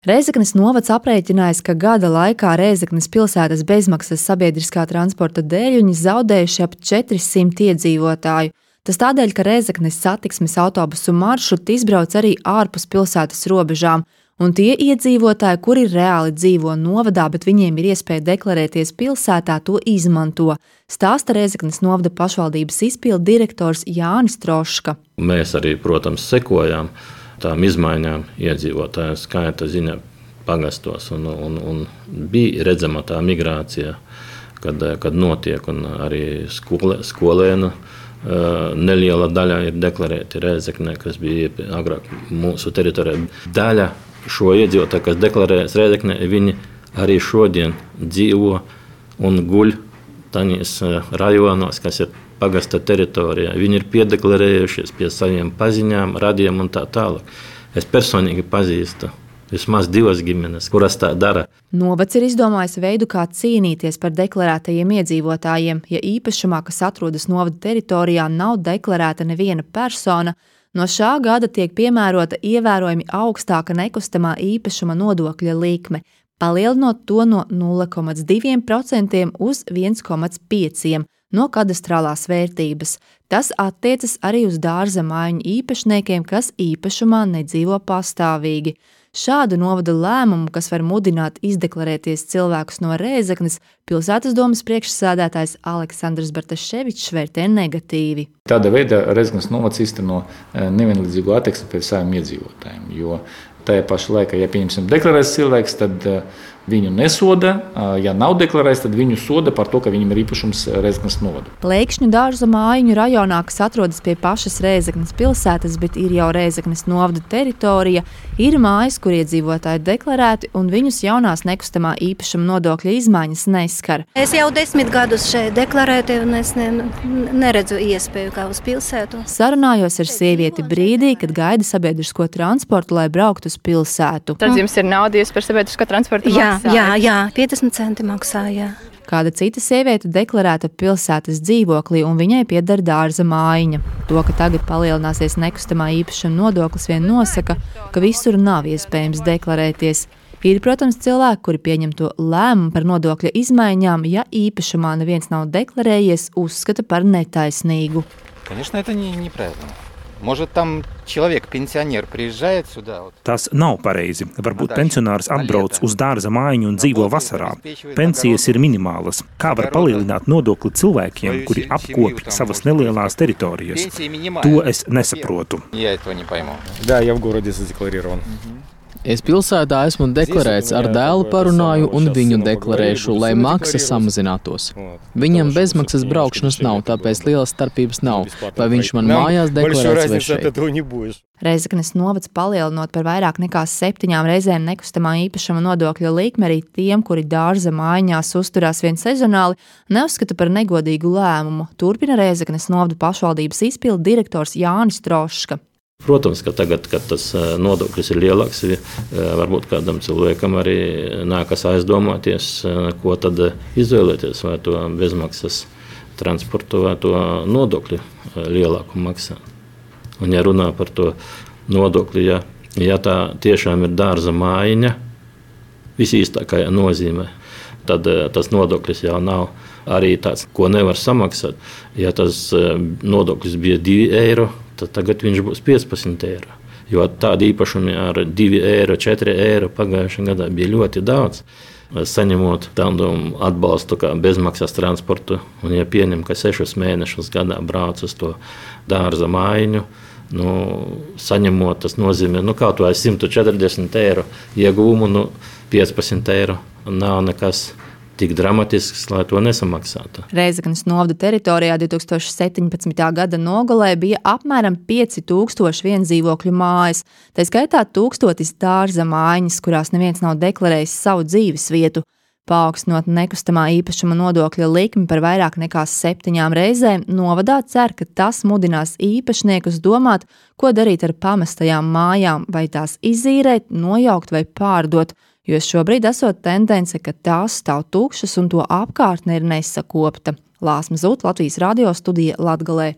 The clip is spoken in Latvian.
Rēzeknes novads aprēķinājis, ka gada laikā Rēzeknes pilsētas bezmaksas sabiedriskā transporta dēļ viņi zaudējuši ap 400 iedzīvotāju. Tas tādēļ, ka Rēzeknes satiksmes autobusu maršruti izbrauc arī ārpus pilsētas robežām, un tie iedzīvotāji, kuri reāli dzīvo novadā, bet viņiem ir iespēja deklarēties pilsētā, to izmanto, stāsta Rēzeknes novada pašvaldības izpildu direktors Jānis Troška. Mēs arī, protams, sekojām tām izmaiņām iedzīvotāju skaita ziņā pagastos, un bija redzama tā migrācija, kad notiek, un arī skolēnu neliela daļa ir deklarēti Rēzeknē, kas bija agrāk mūsu teritorijā. Daļa šo iedzīvotāju, kas deklarējas Rēzeknē, viņi arī šodien dzīvo un guļ taņīs rajonos, kas ir pagasta teritorijā. Viņi ir piedeklarējušies pie saviem paziņām, radiem un tā tālāk. Es personīgi pazīstu vismaz 2 ģimenes, kuras tā dara. Novads ir izdomājis veidu, kā cīnīties par deklarētajiem iedzīvotājiem. Ja īpašumā, kas atrodas novada teritorijā, nav deklarēta neviena persona, no šā gada tiek piemērota ievērojami augstāka nekustamā īpašuma nodokļa likme, palielinot to no 0,2% uz 1,5% no kadastrālās vērtības. Tas attiecas arī uz dārza mājiņu īpašniekiem, kas īpašumā nedzīvo pastāvīgi. Šādu novada lēmumu, kas var mudināt izdeklarēties cilvēkus no Rēzeknes, pilsētas domas priekšsēdētājs Aleksandrs Bartaševičs vērtē negatīvi. Tādā veidā Rēzeknes novads īsteno nevienlīdzīgu attieksmi pret saviem iedzīvotājiem, jo tajā pašā laikā, ja pieņemsim deklarēts cilvēks, tad viņu nesoda, ja nav deklarēts, tad viņu soda par to, ka viņam ir īpašums Rēzeknes novadu. Lēkšņu dārza mājiņu rajonā, kas atrodas pie pašas Rēzeknes pilsētas, bet ir jau Rēzeknes novada teritorija, ir mājas, kur iedzīvotāji deklarēti, un viņus jaunās nekustamā īpašuma nodokļa izmaiņas neskar. Es jau 10 gadus šeit deklarēju, un es neredzu iespēju kā uz pilsētu. Sarunājos ar sievieti brīdī, kad gaida sabiedrisko transportu, lai brauktu uz pilsētu. Tad jums ir nauda, jūs par sabiedrisko transportu maksājat? Jā, 50 centi maksā, jā. Kāda cita sieviete deklarēta pilsētas dzīvoklī, un viņai pieder dārza mājiņa. To, ka tagad palielināsies nekustamā īpašuma nodoklis, vien nosaka, ka visur nav iespējams deklarēties. Ir, protams, cilvēki, kuri pieņem to lēmumu par nodokļa izmaiņām, ja īpašumā neviens nav deklarējies, uzskata par netaisnīgu. Конечно, это неправильно. Может, там человек, пенсионер, приезжает сюда? Tas nav pareizi. Varbūt pensionārs atbrauc uz dārza mājiņu un dzīvo vasarā. Pensijas ir minimālas. Kā var palielināt nodokli cilvēkiem, kuri apkopj savas nelielās teritorijas? To es nesaprotu. Я этого не пойму. Да, я в городе задекларирован. Es pilsētā esmu deklarēts, ar dēlu parunāju un viņu deklarēšu, lai maksa samazinātos. Viņam bezmaksas braukšanas nav, tāpēc lielas starpības nav, vai viņš man mājās deklarēts vai šeit. Rēzeknes novads palielinot par vairāk nekā 7 reizēm nekustamā īpašuma nodokļa likmi arī tiem, kuri dārza mājiņās uzturās vien sezonāli, neuzskata par negodīgu lēmumu. Turpina Rēzeknes novada pašvaldības izpildu direktors Jānis Troška. Protams, ka tagad, kad tas nodoklis ir lielāks, varbūt kādam cilvēkam arī nākas aizdomāties, ko tad izvēlēties, vai to bezmaksas transportu, vai to nodokļu lielāku maksā. Un ja runā par to nodokli, ja tā tiešām ir dārza mājiņa, visīstākajā nozīmē, tad tas nodoklis jau nav arī tāds, ko nevar samaksāt. Ja tas nodoklis bija 2 eiro, tad tagad viņš būs 15 eiro. Jo tādi īpašumi ar 2 eiro, 4 eiro pagājušajā gadā bija ļoti daudz. Saņemot tādu atbalstu kā bezmaksas transportu, un ja pieņem, ka 6 mēnešus gadā brauc uz to dārza mājiņu, saņemot, tas nozīmē, kaut vai 140 eiro iegūmu, 15 eiro nav nekas tik dramatisks, lai to nesamaksātu. Rēzeknes novada teritorijā 2017. gada nogalē bija apmēram 5000 viendzīvokļu mājas, tā skaitā 1000 dārza mājiņas, kurās neviens nav deklarējis savu dzīves vietu. Paaugstinot nekustamā īpašuma nodokļa likmi par vairāk nekā 7 reizēm, novadā cer, ka tas mudinās īpašniekus domāt, ko darīt ar pamestajām mājām, vai tās izīrēt, nojaukt vai pārdot, jo šobrīd esot tendence, ka tās stāv tukšas un to apkārtne ir nesakopta. Lāsma Zūta, Latvijas radio studija Latgalē.